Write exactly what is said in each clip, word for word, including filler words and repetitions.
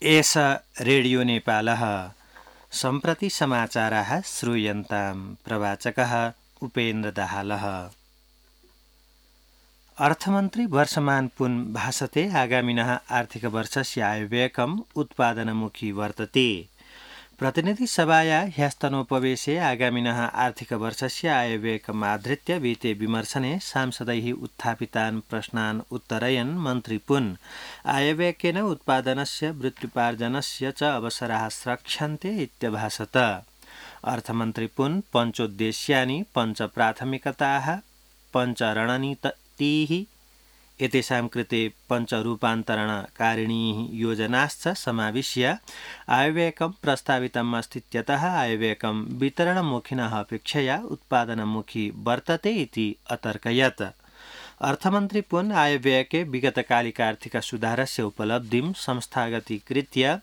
एष रेडियो नेपालः सम्प्रति समाचाराः श्रूयन्तां प्रवाचकः उपेन्द्र दाहालः। अर्थमन्त्री वर्षमान पुन भाषते आगामिनः आर्थिक वर्षस्य आयव्ययकम् उत्पादनमुखी वर्तते। प्रतिनिधि सभाया ह्यस्तनोपवेशे आगामिनः आर्थिक वर्षस्य आयव्ययकम् आधृत्य विते विमर्शने सांसदैः उत्थापितान् प्रश्नान् उत्तरयन् मन्त्री पुन आयव्ययकेन उत्पादनस्य वृत्त्युपार्जनस्य च अवसराः स्रक्ष्यन्ते इत्यभाषत। अर्थमन्त्री पुन पञ्चोद्देश्यानि पञ्च प्राथमिकताः पञ्च रणनीतिः एतेषां कृते पञ्चरूपान्तरणकारिणीः योजनाश्च समाविश्य आयव्ययकं प्रस्तावितम् अस्तीत्यतः आयव्ययकं वितरणमुखिनः अपेक्षया उत्पादनमुखी वर्तते इति अतर्कयत्। अर्थमन्त्री पुन आयव्ययके विगतकालिक आर्थिक सुधारस्य उपलब्धिं संस्थागतीकृत्य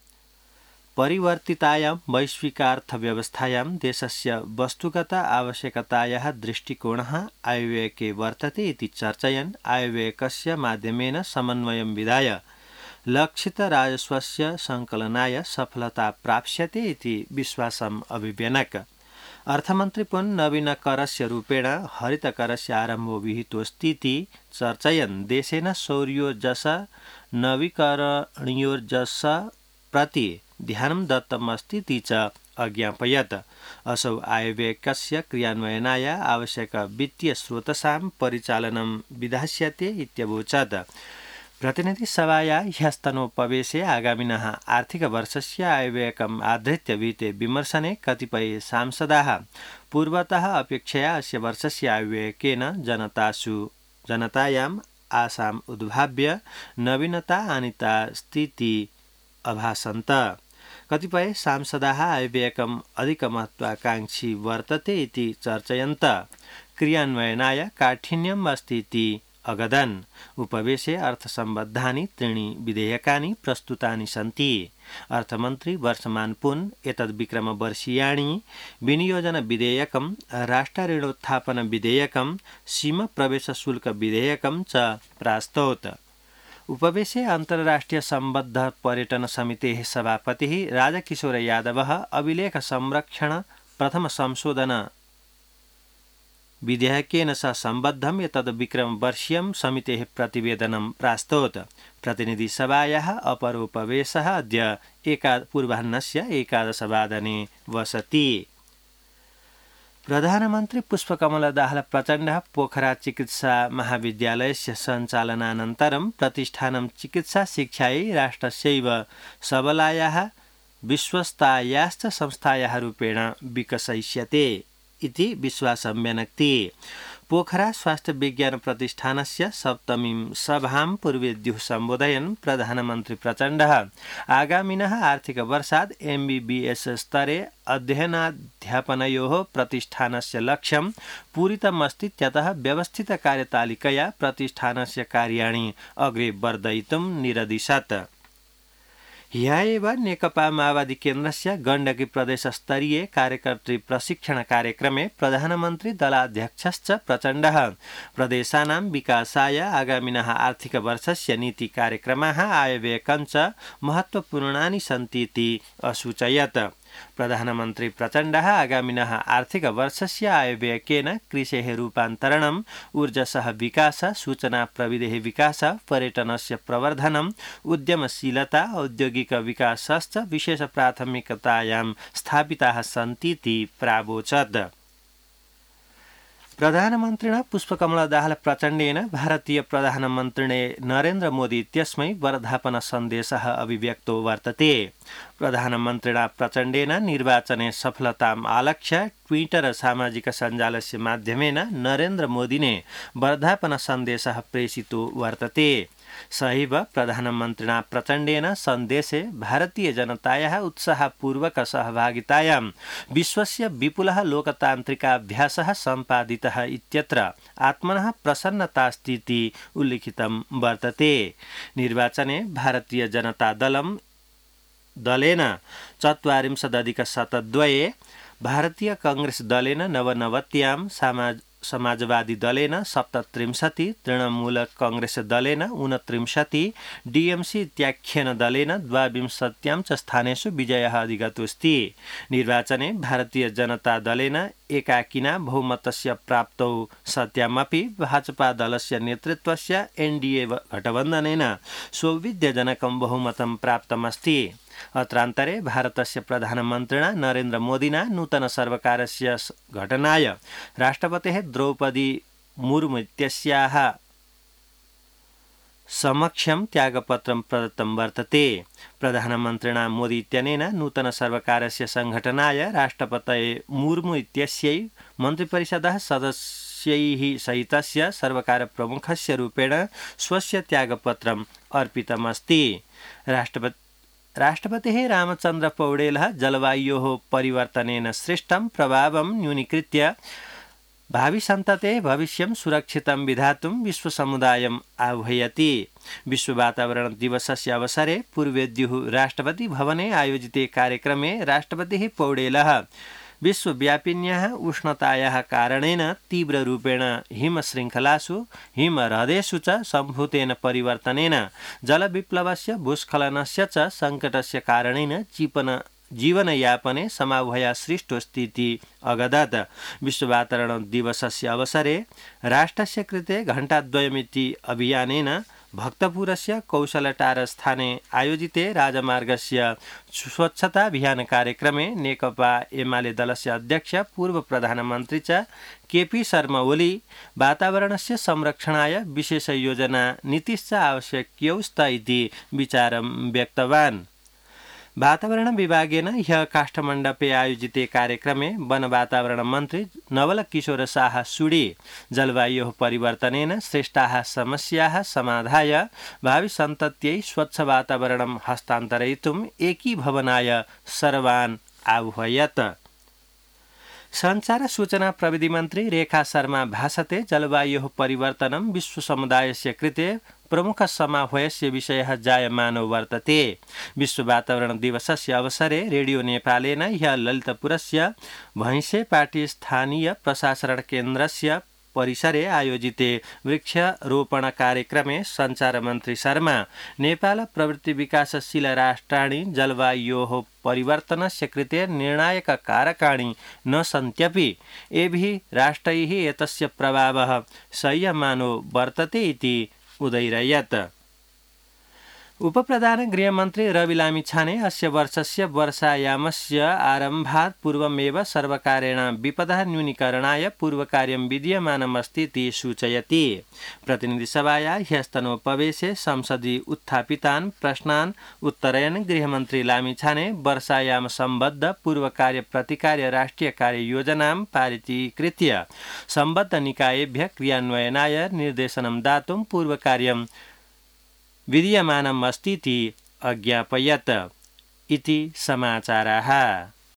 परिवर्तितायां वैश्विकार्थव्यवस्थायां देशस्य वस्तुगत आवश्यकतायाः दृष्टिकोणः आयव्ययके वर्तते इति चर्चयन् आयव्ययकस्य माध्यमेन समन्वयं विधाय लक्षितराजस्वस्य सङ्कलनाय सफलता प्राप्स्यते इति विश्वासम् अभिव्यनक। अर्थमन्त्री पुन नवीनकरस्य रूपेण हरितकरस्य आरम्भो विहितोऽस्तीति चर्चयन् देशेन सौर्योर्जस नवीकरणीयोर्जस प्रति ध्यानं दत्तमस्तीति च अज्ञापयत्। असौ आयव्ययकस्य क्रियान्वयनाय आवश्यक वित्तीय स्रोतसां परिचालनं विधास्यते इत्यवोचत्। प्रतिनिधि सभाया ह्यस्तनोपवेशे आगामिनः आर्थिक वर्षस्य आयव्ययकम् आधृत्य विते विमर्शने कतिपय सांसदाः पूर्वतः अपेक्षया अस्य वर्षस्य आयव्ययकेन जनतासु जनतायाम् आशाम् उद्भाव्य नवीनता आनीतास्तीति अभासन्त। कतिपय सांसदाः आयव्ययकम् अधिकमहत्वाकाङ्क्षी वर्तते इति चर्चयन्त क्रियान्वयनाय काठिन्यम् अस्ति इति अगदन्। उपवेशे अर्थसम्बद्धानि त्रीणि विधेयकानि प्रस्तुतानि सन्ति। अर्थमन्त्री वर्षमान पुन एतद् विक्रमवर्षीयाणि विनियोजन विधेयकं राष्ट्रऋणोत्थापन विधेयकं सीमा प्रवेश शुल्क विधेयकं च प्रास्तौत्। उपवेशे अन्तर्राष्ट्रिय सम्बद्ध पर्यटन समितेः सभापतिः राजकिशोर यादवः अभिलेख संरक्षण प्रथम संशोधन विधेयकेन सह सम्बद्धम् एतद् विक्रमवर्षीयं समितेः प्रतिवेदनं प्रास्तौत्। प्रतिनिधि सभायाः अपरोपवेशः अद्य एका पूर्वाह्नस्य एकादशवादने वसति। प्रधानमन्त्री पुष्पकमल दाहाल प्रचण्डः पोखरा चिकित्सा महाविद्यालयस्य सञ्चालनानन्तरं प्रतिष्ठानं चिकित्सा शिक्षायै राष्ट्रस्यैव सबलायाः विश्वस्तायाश्च संस्थायाः रूपेण विकसयिष्यते इति विश्वासं व्यनक्ति। पोखरा स्वास्थ्य विज्ञान प्रतिष्ठानस्य सप्तमीं सभां पूर्वेद्युः सम्बोधयन् प्रधानमन्त्री प्रचण्डः आगामिनः आर्थिक वर्षात् एमबीबीएस स्तरे अध्ययनाध्यापनयोः प्रतिष्ठानस्य लक्ष्यं पूरितमस्तीत्यतः व्यवस्थित कार्यतालिकया प्रतिष्ठानस्य कार्याणि अग्रे वर्धयितुं निरदिशत्। ह्यः एव नेकपा माओवादी केन्द्रस्य गण्डकी प्रदेशस्तरीय कार्यकर्तृ प्रशिक्षण कार्यक्रमे प्रधानमन्त्री दलाध्यक्षश्च प्रचण्डः प्रदेशानां विकासाय आगामिनः आर्थिक वर्षस्य नीति कार्यक्रमाः आयव्ययकञ्च महत्त्वपूर्णानि सन्ति इति असूचयत्। प्रधानमन्त्री प्रचण्डः आगामिनः आर्थिक वर्षस्य आयव्ययकेन कृषेः रूपान्तरणम् ऊर्जसः विकास सूचना प्रविधेः विकास पर्यटनस्य प्रवर्धनम् उद्यमशीलता औद्योगिक विकासश्च विशेष प्राथमिकतायां स्थापिताः सन्ति इति प्रावोचत्। प्रधानमन्त्रिणा पुष्पकमल दाहाल प्रचण्डेन भारतीय प्रधानमन्त्रिणे नरेन्द्र मोदी इत्यस्मै वर्धापन सन्देशः अभिव्यक्तो वर्तते। प्रधानमन्त्रिणा प्रचण्डेन निर्वाचने सफलताम् आलक्ष्य ट्विटर सामाजिक सञ्जालस्य माध्यमेन नरेन्द्र मोदिने वर्धापन सन्देशः प्रेषितो वर्तते। सहैव प्रधानमन्त्रिणा प्रचण्डेन सन्देशे भारतीय जनतायाः उत्साहपूर्वक सहभागितायां विश्वस्य विपुलः लोकतान्त्रिकाभ्यासः सम्पादितः इत्यत्र आत्मनः प्रसन्नतास्ति इति उल्लिखितं वर्तते। निर्वाचने भारतीय जनता दलं दलेन चत्वारिंशदधिक शतद्वये भारतीय कांग्रेस दलेन नवनवत्यां समाजवादी दलेन सप्तत्रिंशति, तृणमूल कांग्रेस दलेन ऊनत्रिंशति, डीएमसी इत्याख्येन दलेन द्वाविंशत्यां च स्थानेषु विजयः अधिगतोऽस्ति। निर्वाचने भारतीय जनता दलेन एकाकिना बहुमतस्य प्राप्तौ सत्यामपि भाजपा दलस्य नेतृत्वस्य एनडीए गठबन्धनेन सौविध्यजनकं बहुमतं प्राप्तमस्ति। अत्रान्तरे भारतस्य प्रधानमन्त्रिणा नरेन्द्र मोदिना नूतन सर्वकारस्य गठनाय राष्ट्रपतेः द्रौपदी मुर्मु इत्यस्याः समक्षं त्यागपत्रं प्रदत्तं वर्तते। प्रधानमन्त्रिणा मोदी इत्यनेन नूतन सर्वकारस्य संघटनाय राष्ट्रपतये मुर्मु इत्यस्यै मन्त्रिपरिषदः सदस्यैः सहितस्य सर्वकारप्रमुखस्य रूपेण स्वस्य त्यागपत्रम् अर्पितमस्ति। राष्ट्रपति राष्ट्रपतिः रामचन्द्र पौडेलः जलवायोः परिवर्तनेन सृष्टं प्रभावं न्यूनीकृत्य भाविसन्ततेः भविष्यं सुरक्षितं विधातुं विश्वसमुदायम् आह्वयति। विश्व वातावरण दिवसस्य अवसरे पूर्वेद्युः राष्ट्रपति भवने आयोजिते कार्यक्रमे राष्ट्रपतिः पौडेलः विश्वव्यापिन्याः उष्णतायाः कारणेन तीव्ररूपेण हिमशृङ्खलासु हिमह्रदेषु च सम्भूतेन परिवर्तनेन जलविप्लवस्य भूस्खलनस्य च सङ्कटस्य कारणेन जीवन जीवनयापने समावहया सृष्टोऽस्ति इति अगदत्। विश्ववातावरण दिवसस्य अवसरे राष्ट्रस्य कृते घण्टाद्वयमिति अभियानेन भक्तपुरस्य कौशलटारस्थाने आयोजिते राजमार्गस्य स्वच्छताभियान कार्यक्रमे नेकपा एमाले दलस्य अध्यक्ष पूर्व प्रधानमन्त्री च केपी शर्मा ओली वातावरणस्य संरक्षणाय विशेष योजना नीतिश्च आवश्यक्यौस्त इति विचारं व्यक्तवान्। वातावरण विभागेन ह्यः काष्ठमण्डपे आयोजिते कार्यक्रमे वन वातावरण मन्त्री नवल किशोर शाह सुडी जलवायोः परिवर्तनेन सृष्टाः समस्याः समाधाय भाविसन्तत्यै स्वच्छ वातावरणं हस्तान्तरयितुम् एकीभवनाय सर्वान् आह्वयत्। संचार सूचना प्रविधि मन्त्री रेखा शर्मा भाषते जलवायोः परिवर्तनं विश्वसमुदायस्य कृते प्रमुख समाह्वयस्य विषयः जायमानो वर्तते। विश्व वातावरण दिवसस्य अवसरे रेडियो नेपालेन ह्यः ललितपुरस्य भैंसेपाटी स्थानीय प्रशासन केन्द्रस्य परिसरे आयोजिते वृक्षरोपण कार्यक्रमे संचार मन्त्री शर्मा नेपाल प्रवृत्ति विकासशील राष्ट्राणि जलवायोः परिवर्तनस्य कृते निर्णायक कारकाणि न सन्त्यपि एभिः राष्ट्रैः एतस्य प्रभावः सह्यमानो वर्तते इति उदैरयत्। उपप्रधान गृहमन्त्री रवि लामिछाने अस्य वर्षस्य वर्षायामस्य आरम्भात् पूर्वमेव सर्वकारेण विपदः न्यूनीकरणाय पूर्वकार्यं विधीयमानमस्ति इति सूचयति। प्रतिनिधिसभायाः ह्यस्तनोपवेशे संसदि उत्थापितान् प्रश्नान् उत्तरयन् गृहमन्त्री लामिछाने वर्षायाम सम्बद्ध पूर्वकार्य प्रतिकार्य राष्ट्रिय कार्ययोजनां पारितीकृत्य सम्बद्ध निकायेभ्यः क्रियान्वयनाय निर्देशनं दातुं पूर्वकार्यं विधीयमानम् अस्ति इति अज्ञापयत् इति समाचाराः।